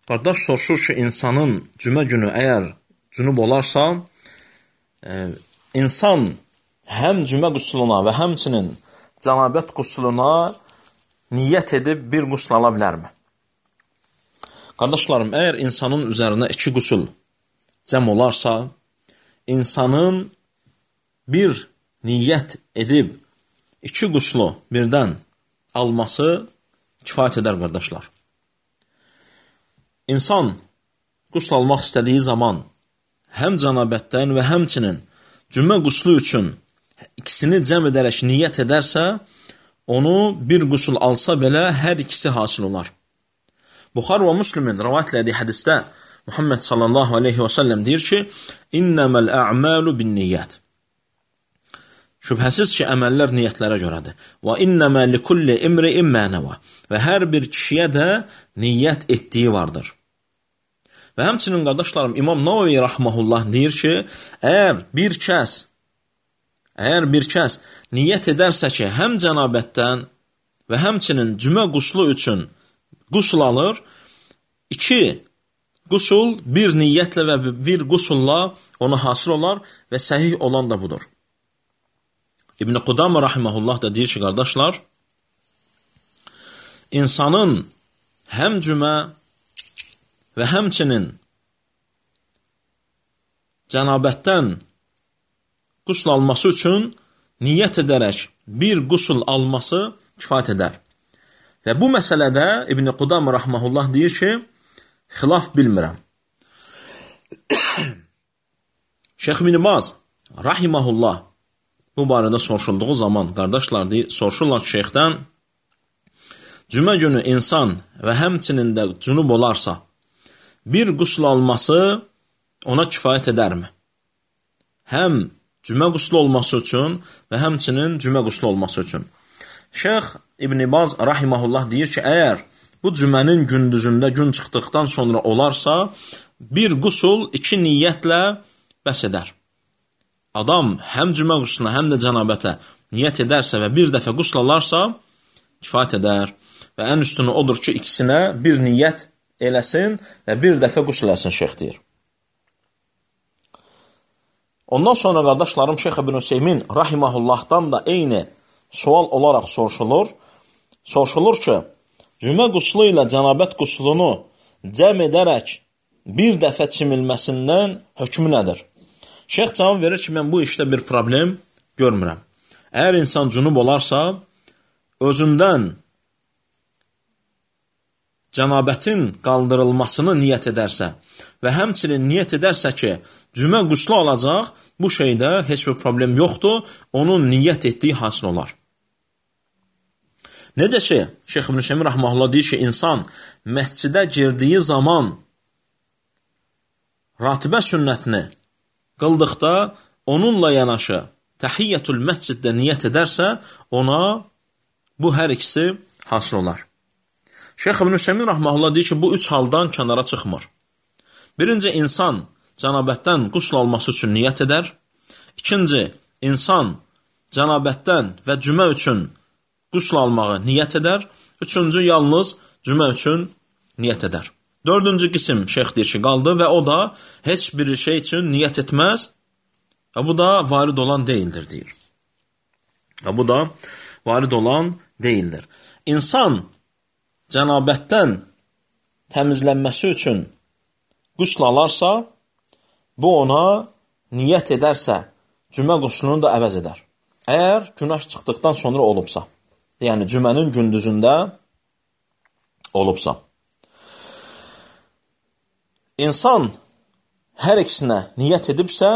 Qardaş soruşur ki, insanın cümə günü əgər cünub olarsa, insan həm cümə qusluna və həmçinin cənabət qusluna niyyət edib bir qusl ala bilərmi? Qardaşlarım, əgər insanın üzərinə 2 qusul cəm olarsa, insanın bir niyyət edib 2 quslu birdən alması kifayət edər, qardaşlar. İnsan qusl almaq istədiyi zaman həm cənabətdən və həmçinin cümə quslu üçün ikisini cəm edərək niyyət edərsə, onu bir qusul alsa belə hər ikisi hasil olar. Buxar və Müslimin rivayət etdiyi hədisdə Muhammed sallallahu aleyhi və səlləm deyir ki, İnnəməl ə'məlu bin niyyət. Şübhəsiz ki, əməllər niyyətlərə görədir. Və innəmə likulli imri'in mə nəvə. Və hər bir kişiyə də niyyət etdiyi vardır. Və həmçinin, qardaşlarım, İmam Navavi rahmehullah deyir ki, əgər bir kəs niyyət edərsə ki, həm cənabətdən və həmçinin cümə quslu üçün qusul alır, 2 qusul bir niyyətlə və bir qusulla ona hasil olar və səhih olan da budur. İbn Qudamə rahimehullah da deyir ki, qardaşlar, insanın həm cümə və həmçinin cənabətdən qusul alması üçün niyyət edərək bir qusul alması kifayət edər. Və bu məsələdə İbn Qudamə rahimehullah deyir ki, xilaf bilmirəm. Şeyx İbn Baz rahimehullah bu barədə soruşulduğu zaman, qardaşlar soruşurlar ki, şeyxdən, cümə günü insan və həmçinin də cünub olarsa, bir qusul alması ona kifayət edərmi? Həm cümə quslu olması üçün və həmçinin cümə quslu olması üçün. Şeyx İbn Baz rahimehullah deyir ki, əgər bu cümənin gündüzündə gün çıxdıqdan sonra olarsa, bir qusul 2 niyyətlə bəs edər. Adam həm cümə qusluna, həm də cənabətə niyyət edərsə və bir dəfə qusl alarsa, kifayət edər. Və ən üstünü odur ki, ikisinə bir niyyət eləsin və bir dəfə qusl eləsin, şeyx deyir. Ondan sonra, qardaşlarım, Şeyx İbn Hüseymin rahimehullahdan da eyni sual olaraq soruşulur. Soruşulur ki, cümə quslu ilə cənabət quslunu cəm edərək bir dəfə çimilməsindən hökmü nədir? Şeyx cavab verir ki, mən bu işdə bir problem görmürəm. Əgər insan cünub olarsa, özündən cənabətin qaldırılmasını niyyət edərsə və həmçinin niyyət edərsə ki, cümə quslu alacaq, bu şeydə heç bir problem yoxdur, onun niyyət etdiyi hasil olar. Necə ki, Şeyx İbn Hüseymin rahmehullah deyir ki, insan məscidə girdiyi zaman ratibə sünnətini qıldıqda onunla yanaşı təhiyyətul məsciddə niyyət edərsə, ona bu hər ikisi hasil olar. Şeyx İbn Hüseymin rahmehullah deyir ki, bu 3 haldan kənara çıxmır. Birinci, insan cənabətdən qusl alması üçün niyyət edər. İkinci, insan cənabətdən və cümə üçün qusl almağı niyyət edər. Üçüncü, yalnız cümə üçün niyyət edər. Dördüncü qisim şeyx deyir ki, qaldı və o da heç bir şey üçün niyyət etməz və bu da varid olan deyildir, deyir. Və bu da varid olan deyildir. İnsan cənabətdən təmizlənməsi üçün qusl alarsa, bu ona niyyət edərsə, cümə quslunu da əvəz edər. Əgər günah çıxdıqdan sonra olubsa, yəni cümənin gündüzündə olubsa. İnsan hər ikisinə niyyət edibsə,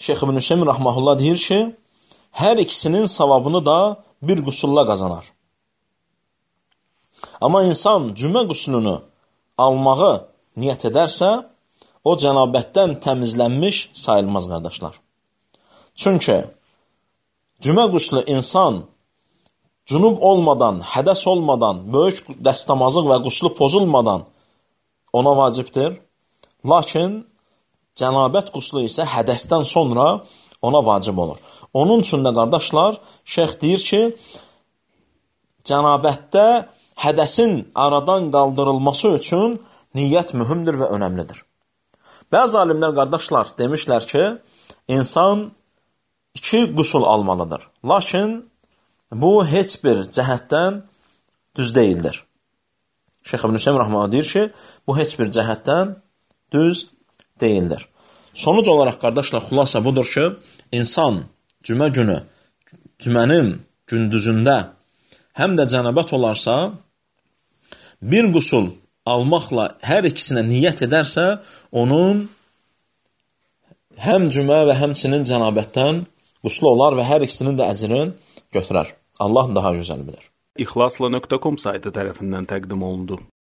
Şeyx İbn Hüseymin rahmehullah deyir ki, hər ikisinin savabını da bir qusulla qazanar. Amma insan cümə quslunu almağı niyyət edərsə, o cənabətdən təmizlənmiş sayılmaz, qardaşlar. Çünki cümə quslu insan cünub olmadan, hədəs olmadan, böyük dəstəmazlıq və quslu pozulmadan ona vacibdir. Lakin cənabət quslu isə hədəsdən sonra ona vacib olur. Onun üçün də, qardaşlar, şeyx deyir ki, cənabətdə hədəsin aradan qaldırılması üçün niyyət mühümdür və önəmlidir. Bəzi alimlər, qardaşlar, demişlər ki, insan 2 qusul almalıdır. Lakin bu heç bir cəhətdən düz deyildir. Şeyx İbn Hüseyn rəhməhullah deyir ki, bu heç bir cəhətdən düz deyildir. Sonuc olaraq, qardaşlar, xülasə budur ki, insan cümə günü, cümənin gündüzündə həm də cənabət olarsa, bir qusul almaqla hər ikisinə niyyət edərsə, onun həm cümə və həmçinin cənabətdən quslu olar və hər ikisinin də əcrini götürər. Allah daha gözəl bilir. İxlasla.com saytı tərəfindən təqdim olundu.